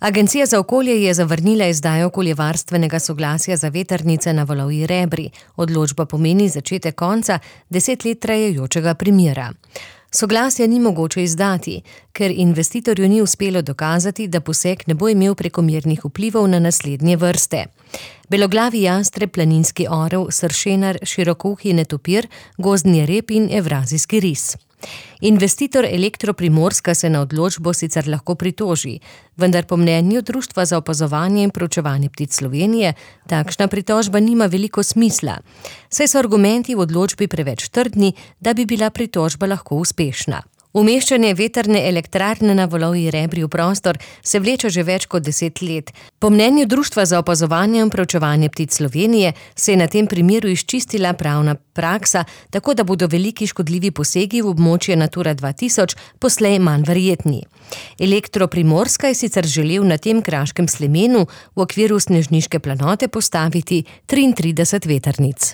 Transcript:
Agencija za okolje je zavrnila izdajo okoljevarstvenega soglasja za vetrnice na Valovi Rebri. Odločba pomeni začetek konca 10 let trajajočega primera. Soglasja ni mogoče izdati, ker investitorju ni uspelo dokazati, da poseg ne bo imel prekomernih vplivov na naslednje vrste: beloglavi jastreb, planinski orel, sršenar, širokouhi netopir, gozdni rep in evrazijski ris. Investitor Elektro Primorska se na odločbo sicer lahko pritoži, vendar po mnenju Društva za opazovanje in proučevanje ptic Slovenije takšna pritožba nima veliko smisla, saj so argumenti v odločbi preveč trdni, da bi bila pritožba lahko uspešna. Umeščanje vetrne elektrarne na Valovi Rebri v prostor se vleče že več kot 10 let. Po mnenju Društva za opazovanje in proučevanje ptic Slovenije se je na tem primeru izčistila pravna praksa, tako da bodo veliki škodljivi posegi v območje Natura 2000 poslej manj verjetni. Elektro Primorska je sicer želel na tem kraškem slemenu v okviru snežniške planote postaviti 33 vetrnic.